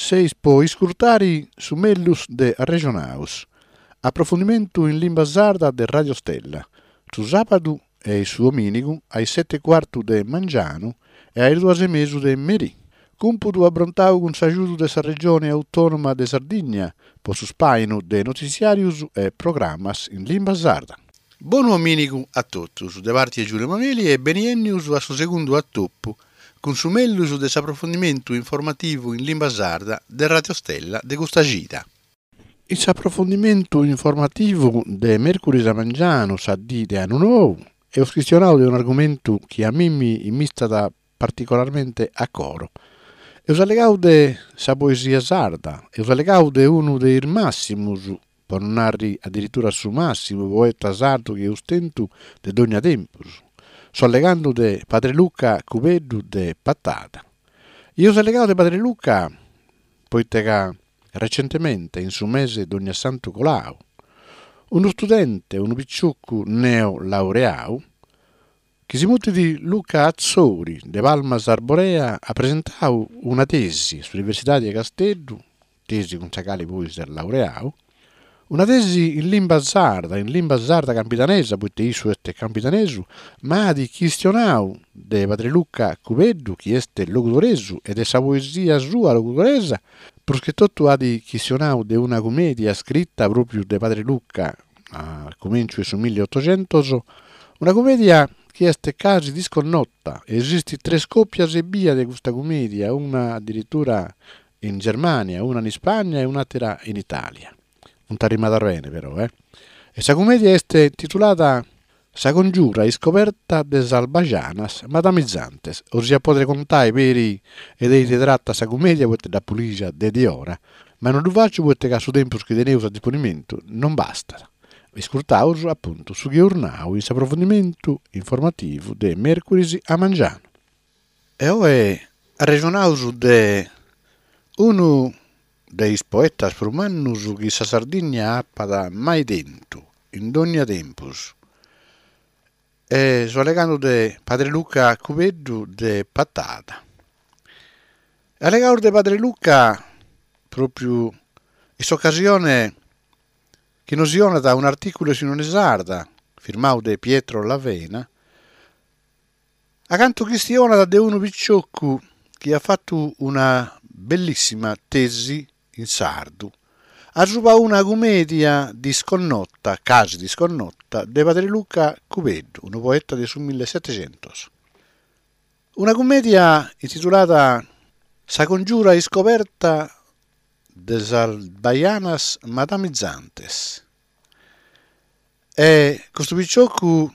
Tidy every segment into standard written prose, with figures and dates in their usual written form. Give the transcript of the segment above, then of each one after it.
Seis po iscurtari su mellus de Arrexonaus, aprofundimentu in limba sarda de Radio Stella, su sàbadu e su domìnigu a is seti e cuartu de mangianu e a is duas e mesu de merì. Cumpudu abrontau cun s'agiudu de sa Regione Autònoma de Sardigna po su spàinu de notitziàrius e programas in limba sarda. Bonu domìnigu a totus, de parti 'e Giulio Mameli e beniènnius a su segundu atopu cun su mellus de s'aprofundimentu informativu in limba sarda de Radio Stella de custa cida. In s'aprofundimentu informativu de mèrcuris a mangianu, sa dì de annu nou, eus chistionau de un'argumentu chi a mimmi m'istat particolarmente a coro. Eus allegau de sa poesia sarda, eus allegau de unu de is màssimus po non narri adiritura su màssimu poeta sardu chi eus tentu de dogna tempus. So allegando de Padre Luca Cubeddu de Patada. E eus allegau de Padre Luca poite ca recentemente, in su mese Donniassantu colau, unu studente, unu piciocu neolaureau, chi si mutit Luca Atzori de Palmas Arborea at presentau una tesi in s'Universidadi 'e Casteddu, tesi cun sa cali poi s'est laureau, una tesi in limba sarda, in limba sarda campidanesa, poite issu est campidanesu, ma at chistionau de Padre Luca Cubeddu chi est logudoresu e de sa poesia sua logudoresa, prus che totu at chistionau de una cumedia scrita propriu de Padre Luca a cumenciu 'e su milliotoxentos, una cumedia chi est casi disconnota, esistit tres còpias ebbia de custa cumedia, una adiritura in Germania, una in Ispagna e un'àtera in Itàlia. Funt arrimadas bene però, eh! E sa cumedia est titulada Sa congiura iscoberta de sas bajanas madamizantes. Os ia pòdere contai peri de ite tratat sa cumedia poite dd'apu lìgia de diora, ma non ddu faciu poite ca su tempus chi teneus a disponimentu non bastat. Iscurtaus, apuntu, su chi eus nau in s'aprofundimentu informativu de mèrcuris a mangianu. E oe arrexonaus de unu de is poetas prus mannus chi sa Sardigna apat mai tentu in dogna tempus. E so allegando de Padre Luca Cubeddu de Patada. E allegaus de Padre Luca pròpriu in s'ocasione chi nos 'onat un'artìculu 'e s'Unione Sarda, firmau de Pietro Lavena, Acantu chistionat de unu piciocu chi at fatu una bellissima tesi in sardu asuba una cumèdia disconnota, casi disconnota, de Padre Luca Cubeddu, unu poeta de su millesetecentos. Una cumèdia intitulada Sa congiura iscoberta de sas bajanas madamizantes. E custu piciocu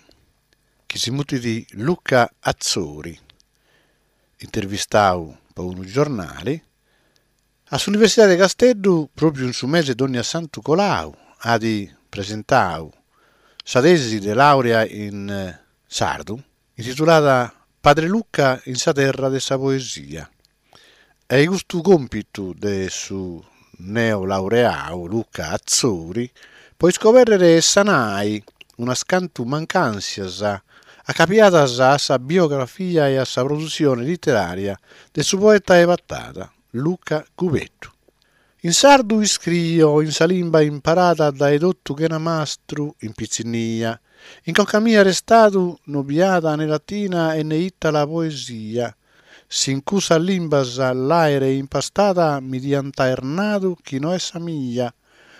chi si mutit Luca Atzori, intervistau po unu giornali, a s'Universidadi de Casteddu pròpriu in su mese Donniassantu colau at presentau sa tesi de laurea in sardu intitulada Padre Luca in sa terra de sa poesia. E custu còmpitu de su neolaureau Luca Atzori po iscobèrrere e sanai unas cantu mancàntzias acapiadas a sa biografia e a sa produtzione literària de su poeta 'e Patada, Luca Cubeddu. In sardu iscrio in sa limba imparada dae totu chena mastru in pitzinnia. In conca mia restadu no bi at ne latina e ne itala poesia. Si in cussas limbas l'aere impastada mi diant aer nadu chi no est sa mia,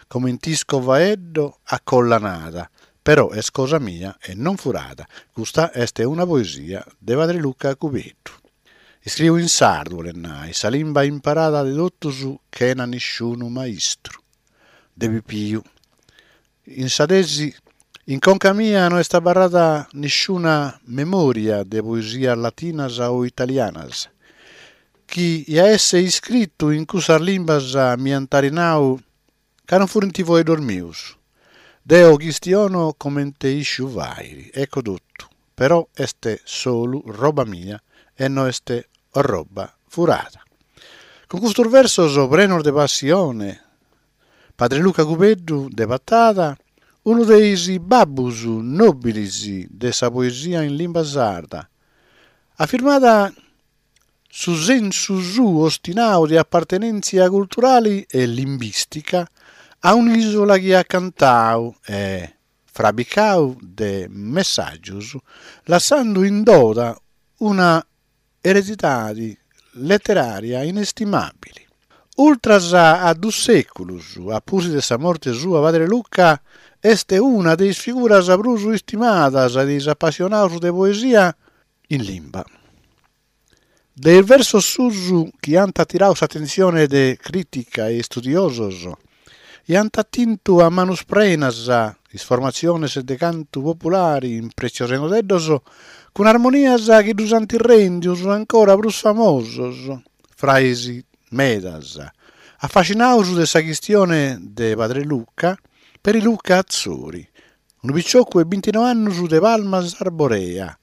coment'isco faeddo acollanada, però est cosa mia e non furada. Custa est una poesia de Padre Luca Cubeddu. Iscriu in sardu, 'olet nai, sa limba imparada de totus chena nisciunu maistru. De pipiu. In sa tesi In conca mia no est abarrada nisciuna memòria de poesias latinas o italianas. Chi ia esse iscritu in cussas limbas m'iant àere nau Ca non furint foeddos mius. Deo chistiono comente isciu fàiri, ecco totu, però est solu roba mia e no est roba furada. Cun custos versos prenos de passione, Padre Luca Cubeddu de Patada, unu de is babbus nòbilis de sa poesia in limba sarda, afirmat. Su sensu suo ostinau de apartenèntzia culturali e limbìstica a un'ìsula chi at cantau e frabicau de messàgius lassandu in doda una eredidadi leterària inestimàbili. Ultras a dus sèculus a pustis de sa morte sua Padre Luca est una de is figuras prus istimadas de is apassionaus de poesia in limba. De is versos suus chi ant atirau s'atentzione de crìtica e istudiosos e ant atintu a manus prenas is formatziones de cantu populari impretzionendeddos cun armonias chi ddus ant rèndius ancora prus famosos fra is medas afascinaus de sa chistione de Padre Luca, peri Luca Atzori, Unu piciocu 'e bintinoe annus de Palmas Arborea,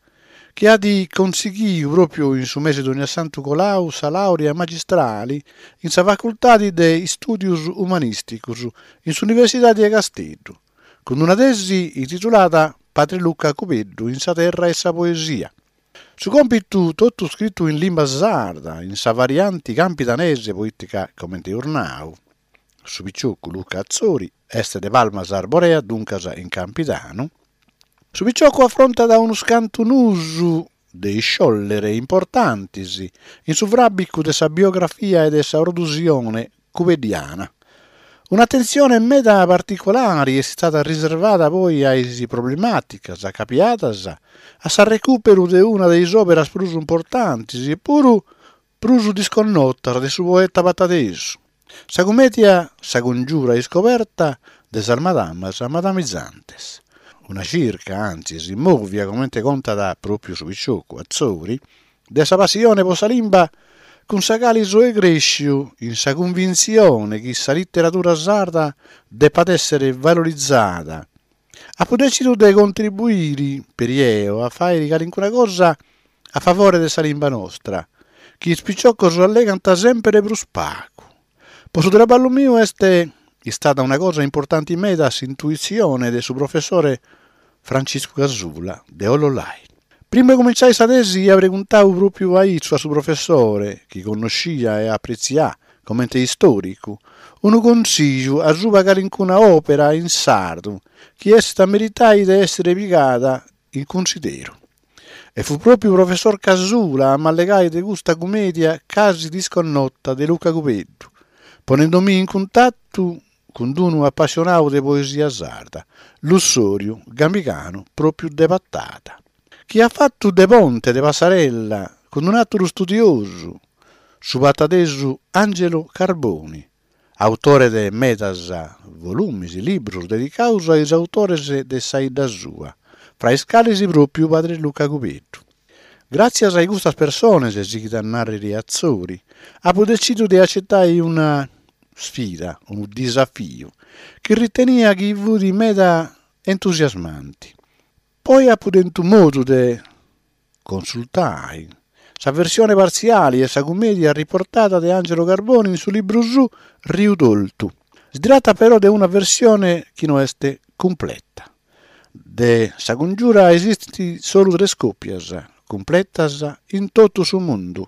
chi at consighiu pròpiu in su mesi de Onniassantu colau sa làurea magistrali in sa Facultadi de Istùdius Umanìsticus in s'Universidadi 'e Casteddu, cun una tesi intitulada Padre Luca Cubeddu in sa terra 'e sa poesia. Su còmpitu totu scritu in limba sarda, in sa varianti campidanese poita ca, comente eus nau, Su piciocu Luca Atzori est de Palmas Arborea, duncas in Campidanu. Su piciocu afrontat unus cantu nus de isciòllere importantis in su fràbicu de sa biografia e de sa produsione cubeddiana. Un'atentzione meda particolari est istada riservada poi a is problemàticas acapiadas a s'arrecùperu de una de is òberas prus importantis e puru prus disconnotas de su poeta patadesu, sa cumèdia Sa congiura iscoberta de sas madamas madamizantes. Una circa, antzis, mòvia, comente contat pròpiu su piciocu Atzori, de sa passione po sa limba cun sa cali soe crèsciu in sa cunvintzione chi sa literadura sarda depat èssere valorizada. Apu detzidu de contribuiri peri eo a fàiri calincuna cosa a favore de sa limba nostra, chi is piciocos allegant sèmpere prus pagu. Po su traballu miu est istada una cosa importanti meda s'intuitzione de su professore Franciscu Casula de Ollolai. Primu 'e cumenciai sa tesi ia preguntau pròpiu a issu, a su professore, chi connoscia e apretzià comente istòricu, unu consìgiu asuba calincuna òpera in sardu chi essit a meritai de èssere pigada in cunsideru. E fut pròpiu professor Casula a m'allegai de custa cumèdia casi disconnota de Luca Cubeddu, ponendomì in cuntatu cun d'unu apassionau de poesia sarda, Lussoriu Gambiganu pròpiu de Patada, chi at fatu de ponte de passarella cun un'àteru studiosu, su patadesu Angelo Carboni, autore de medas volumis, librus dedicaus a is autores de sa 'idda sua, fra is cales pròpiu Padre Luca Cubeddu. Gràtzias a custas persones, sighit a nàrrere Atzori, apu detzidu de acetai una sfida, unu disafiu, chi ritenia chi fut meda entusiasmanti. Poi apu tentu modu de consultai sa versione partziali 'e sa cumèdia riportada de Angelo Carboni in su libru suu Riu Tortu. Si tratat però de una versione chi no est cumpleta. De sa congiura esistint solu tres còpias cumpletas in totu su mundu,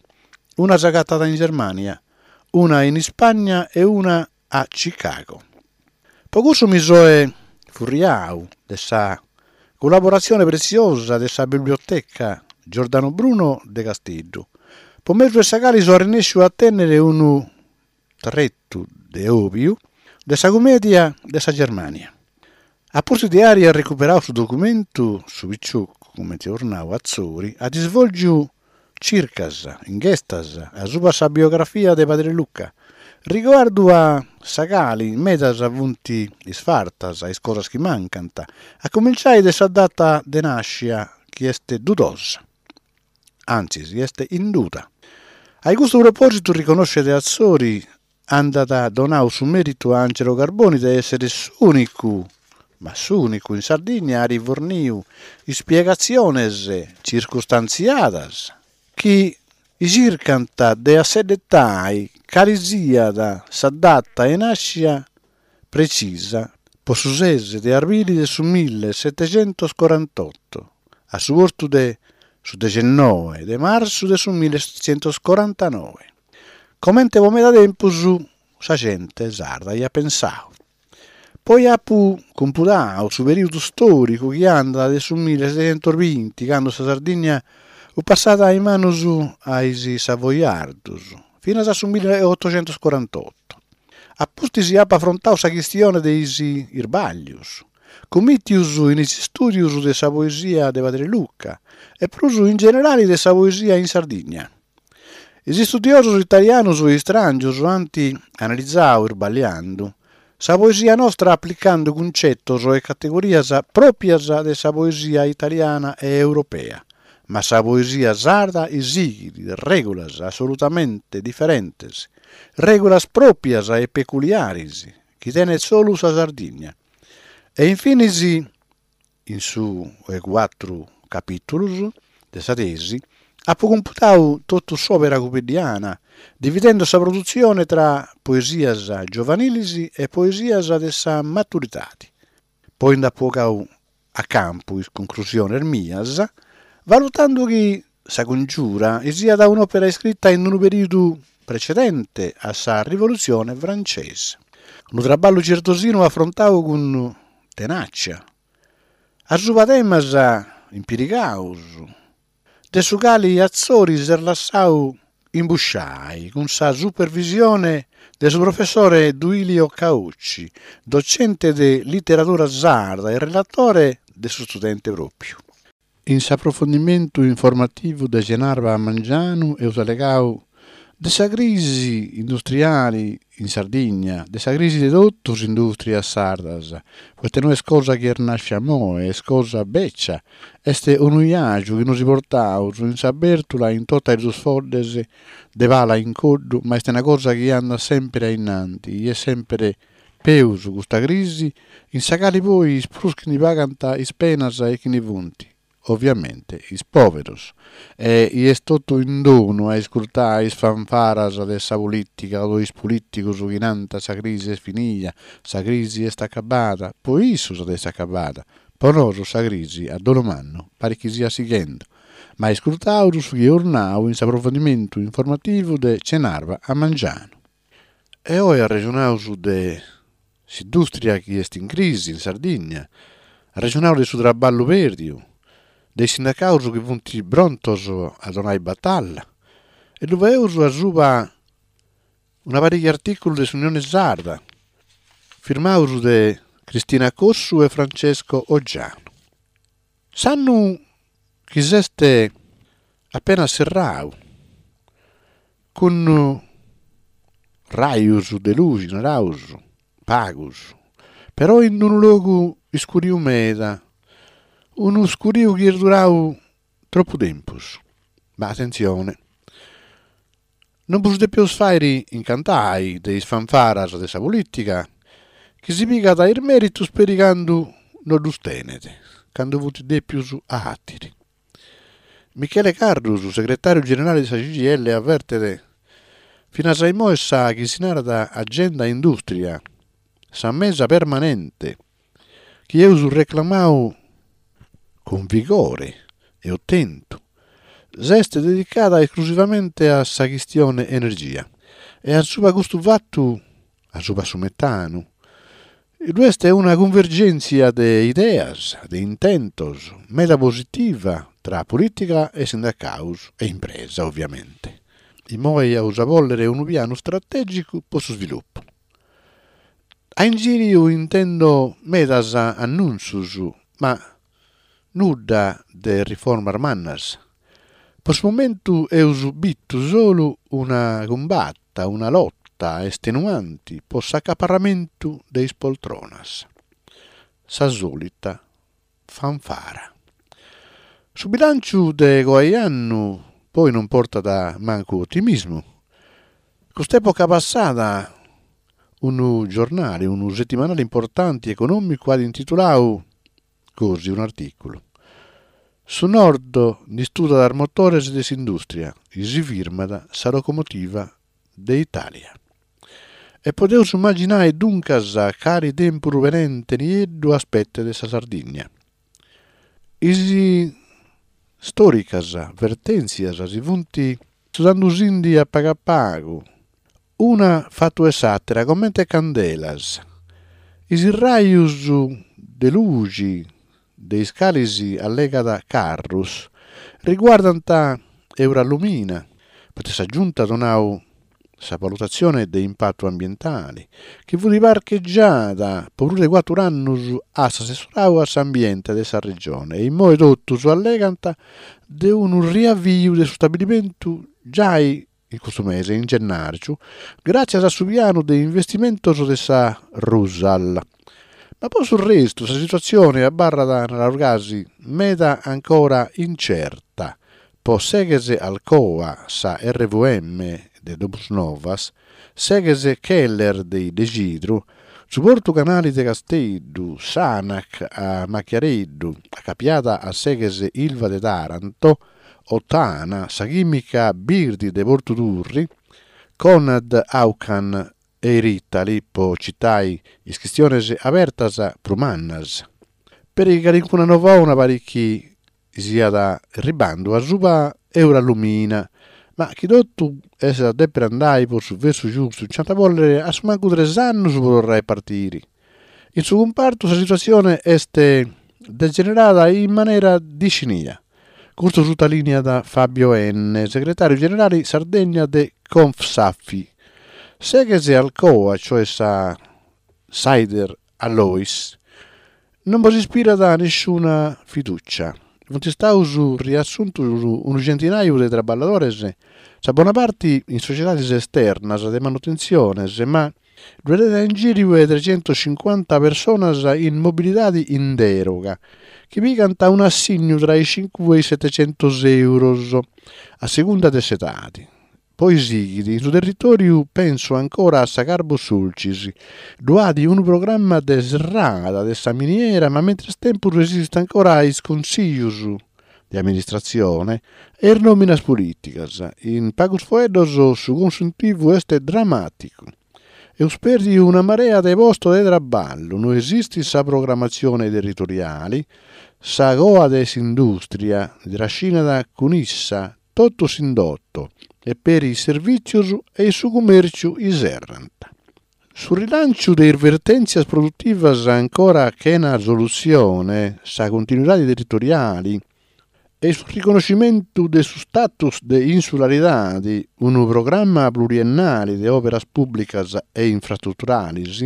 una s'agatat in Germània, una in Ispagna e una a Chicago. Po cussu mi soe furriau de sa collaboratzione pretziosa de sa Biblioteca Giordano Bruno de Casteddu, po mesu 'e sa cali so arrenèsciu a tènnere unu tretu de òbiu de sa cumèdia de sa Germània. A pustis de àiri arrecuperau su documentu, su piciocu, cumenti eus nau, Atzori, at isvòlgiu circas, inghestas, asuba sa biografia de Padre Luca, riguardu a sa cali medas funt is fartas, is cosas chi mancant, a cumenciai de sa data de nàscia chi est dudosa. Antzis, est in duda. A custu propòsitu riconnoscet Atzori andat donau su mèritu a Angelo Carboni de èssere s'ùnicu, ma s'ùnicu in Sardigna a àri forniu ispiegatziones circustantziadas chi circant de assedetai cali siat sa data 'e nàscia precisa po su ses de arbili de su millesetexentuscorantotto, a su postu de. su dexennoe de martzu de su millesetzentos-corantanoe, comente po meda tempus sa gente sarda aiat pensau. Poi apu compudau su perìodu stòricu chi andat de su millesetzentos-binti, candu sa Sardigna fut passada in manus a is Savoiardus, finas a su milleotoxentos-corantoto. A pustis apu afrontau sa chistione de is isbàllius cumìtius in is istùdius de sa poesia de Padre Luca e prus in generali de sa poesia in Sardigna. Is istudiosos italianos e istràngios ant analizau, isballiandu, sa poesia nostra aplicando cuncetos e categorias pròpias de sa poesia italiana e europea, ma sa poesia sarda sighit règulas assolutamente diferentes, règulas pròpias e peculiares chi tenet solu sa Sardigna. E infinis, in su 'e cuatru capìtulos de sa tesi, apo computadu totu s'òbera cubeddiana, dividendo sa produtzione tra poesias giovaniles e poesias de sa maturidade. Poi nd'apo 'ogadu a campu is concrusiones mias, valutando chi Sa Congiura siat un'òpera iscrita in unu perìodu precedente a sa Rivolutzione Francesa. Unu traballu certosinu afrontadu cun tenàcia, a suba temas impirigados, de su cali Atzori s'est lassadu imbusciai cun sa supervisione de su professore Duilio Caocci, docente de literadura sarda e relatore de su studente pròpiu. In s'aprofondimentu informativu de Cenarba a mangianu eus allegau de sa crisi industriali in Sardigna, de sa crisi de totu is industrias sardas, poita no est cosa chi est nàscia immoe, est cosa bècia, est unu 'iàgiu chi nosi portaus in sa bèrtula in totu is dus foddes de pala in coddu, ma est una cosa chi andat sèmpere a innanti i est sèmpere peus custa crisi in sa cali poi is prus chi ndi pagant is penas e chini funt, oviamente, is poberos. E i est totu in donu a iscurtai is fanfaras de sa politica o de is politicus chi nant sa crisi est finia, sa crisi est acabada, po issus at essi acabada, po nosu sa crisi, a dolu mannu, parit chi siat sighendu. Ma iscurtaus su chi eus nau in s'aprofondimentu informativu de Cenarba a mangianu. E oe arrexonaus de s'indùstria chi est in crisi in Sardigna, arrexonaus de su traballu pèrdiu, de is sindacaus chi funt prontos a donai batalla e ddu faeus asuba una pariga 'e artìculus de s'Unione Sarda, firmaus de Cristina Cossu e Francesco Oggiano. S'annu chi s'est apena serrau cun rajus de luxi, naraus, pagus, però in unu logu iscuriu meda, unu scuriu chi est durau tropu tempus. Ma atentzione, non bos depeus fàiri incantai de is fanfaras de sa polìtica chi si pigat is mèritus peri candu no ddus tenet, candu funt dèpius a àtiri. Michele Carru, su segretàriu generale de sa CGIL avertet, Finas a immoe sa chi si narat agenda indùstria, sa mesa permanente, chi eus reclamadu cun vigore e otentu, s'est dedicada esclusivamente a sa chistione energia e a suba custu fatu, a suba su metanu, ddu est una cunvergèntzia de ideas, de intentos, meda positiva tra polìtica e sindacaus e impresa, oviamente. Immoe iaus a bòlere unu pianu stratègicu po su svilupu. A ingìriu intendo medas annuntzios, ma nudda de riformas mannas. Po su momentu eus bitu solu una cumbata, una lota estenuanti po s'acaparramentu de is poltronas. Sa sòlita fanfara. Su bilànciu de coa 'e annu poi non portat mancu otimismu. Cust'època passada unu giornale, unu setimanale importanti econòmicu at intitulau gosi un'artìculu, Su Nord nd'istudat is motores de s'indùstria e si firmat sa locomotiva de Itàlia. E podeus imaginai duncas cali tempus benente nieddu aspetet sa Sardigna. Is. Stòricas vertèntzias si funt studandusindi a pagu a pagu, una fatu 'e s'àtera comente candelas. Is rajos de luxi de is calis allegat Carrus riguardant Eurallumina, poita sa Giunta at donau sa valutatzione de impatu ambientale, chi fut parchegiada po prus de cuàturu annus a s'assessorau a s'ambiente de sa Regione e immoe totus allegant de unu riaviu de su stabilimentu giai in custu mese, in gennàrgiu, gràtzias a su pianu de investimentos de sa Rusal. Ma po su restu sa situatzione abarrat, naraus gasi, meda ancora incerta Po Seghese Alcoa, sa RVM de Domusnovas, Seghese Keller de Biddacidru, su Portu Canali de Casteddu, s'Anac a Machiareddu, acapiada a Seghese Ilva de Taranto, Ottana, sa chìmica birdi de Portu Turri, Conad Aucan Air Italy, po citai is chistiones abertas prus mannas. Peri calincuna nova 'ona parit chi siat erribandu asuba Eurallumina, ma chi totu est a dèpere andai po su versu giustu nc'ant a bòlere a su mancu tres annus po torrai a partiri. In su cumpartu sa situatzione est degenerada in manera discinia. Custu sutalìniat Fabio Enne, segretàriu generali Sardegna de Confsafi. Seghese Alcoa, cioè sa Sider Alloys, non bos ispirat nisciuna fidùcia. Funt istados riassuntos unu centinàiu de traballadores, sa bona parti in sociedades esternas de manutentziones, ma ddoe at a ingìriu 'e trecentocincuanta personas in mobilidade in dèroga, chi pigant un'assignu tra is cincu e is setecentos euros, a segunda de s'edade. Poi sighit, in su territòriu penso ancora a sa Carbosulcis, ddu at unu programma de serrada de sa miniera ma mentris tempus esistint ancora is consìgios de amministratzione e is nòminas polìticas. In pagus foeddos su consuntivu est dramàticu. Eus pèrdiu una marea de postos de traballu, no esistit sa programmatzione territoriali, sa coa de s'indùstria trascinat cun issa Totu s'indotto e peri is servìtzios e su cumèrciu iserrant. Su rilànciu de is vertèntzias produtivas ancora chena solutzione, sa continuidade territoriale e su riconnoscimentu de su status de insularidade, unu programma pluriennale de òberas pùblicas e infrastruturales,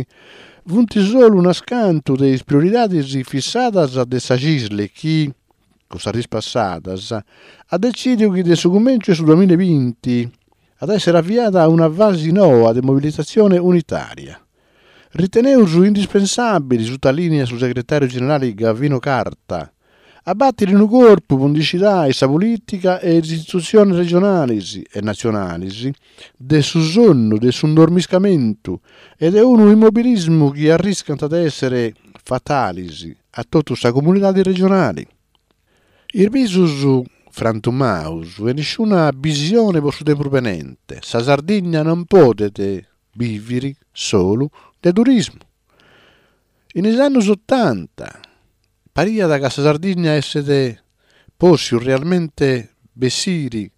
funt solu unas cantu de is prioridades fissadas de sa Cisl chi, Custas dies passadas, at detzìdiu chi de su cumentzu 'e su duamilla e binti at a èssere aviada una fasi noa de mobilitatzione unitària. Riteneus indispensàbili, sutalìniat su segretàriu generali Gavino Carta, a bàtiri unu corpu po ndi scidai sa polìtica e is istitutziones regionales e natzionales de su sonnu, de su ndormiscamentu e de unu immobilismu chi arriscant de èssere fatales a totu sa comunidade regionale. Is bisus frantumaus e nisciuna bisione po su tempus benente, sa Sardigna non podet bìviri solu de turismu. In is annus otanta pariat ca sa Sardigna esset pòssiu realmente bessiri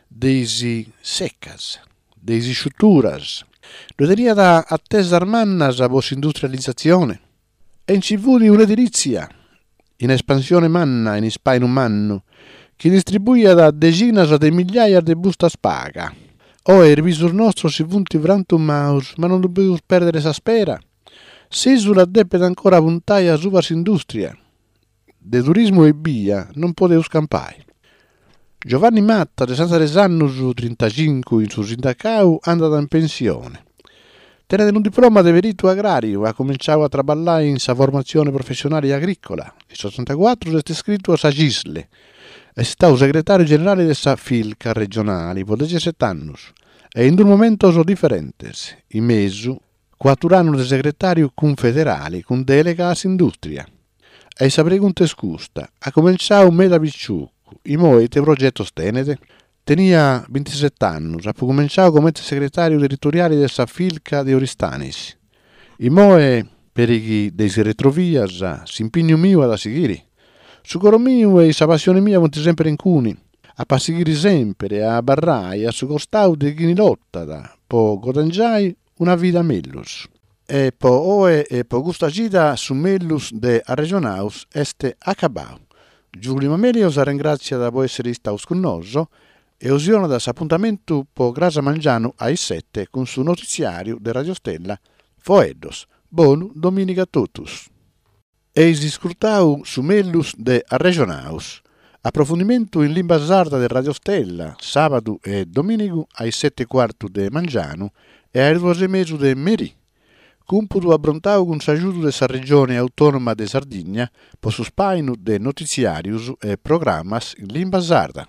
de is secas, de is isciuturas, ddoe teniat atesas mannas po s'industrializatzione. E nci fut un'edilìtzia in espansione manna in ispàinu mannu chi distribuiat dexinas de migliaias de bustas paga. Oe is bisus nostros si funt frantumaus ma non depeus pèrdere sa spera. S'ìsula depet ancora puntai asuba s'indùstria. De turismu ebbia non podeus campai. Giovanni Matta, sessantatres annus, trintacincu in su sindacau, andat in pensione. Tenet unu diploma de peritu agràriu, at cumenciau a traballai in sa formatzione professionali agrìcola. In s'otantacuatru s'est iscritu a sa Cisl. Est istau segretàriu generali de sa Filca regionali po dexessete annus e in dus momentos diferentes, in mesu Cuàturu annus de segretàriu cunfederali cun dèlega a s'indùstria. E sa pregunta est custa, at cumenciau meda piciucu, imoe ite progetos tenet? Tenia bintiset'annus, apu cumenciau comente segretàriu territoriali de sa Filca de Oristanis. Imoe, peri chi de is retrovias, s'impignu miu at a sighiri. Su coro miu e sa passione mia funt semper in cuni. Apo a sighiri semper a abarrai a su costau de chini lotat po godangiai una vida mellus. E po oe e po custa cida su mellus de Arrexonaus est acabau. Giulio Mameli os arrengràtziat po èssere istaus cun noso e os donat s'apuntamentu po cras mangianu a is sete cun su notitziàriu de Radio Stella Foeddos. Bonu domìnigu a totus. Eis iscurtau su mellus de Arrexonaus, aprofundimentu in limba sarda de Radio Stella, sàbadu e domìnigu a is sete e cuartu de mangianu e a is duas e mesu de merì. Cumpudu abrontau cun s'agiudu de sa Regione Autònoma de Sardigna po su spàinu de notitziàrius e programas in limba sarda.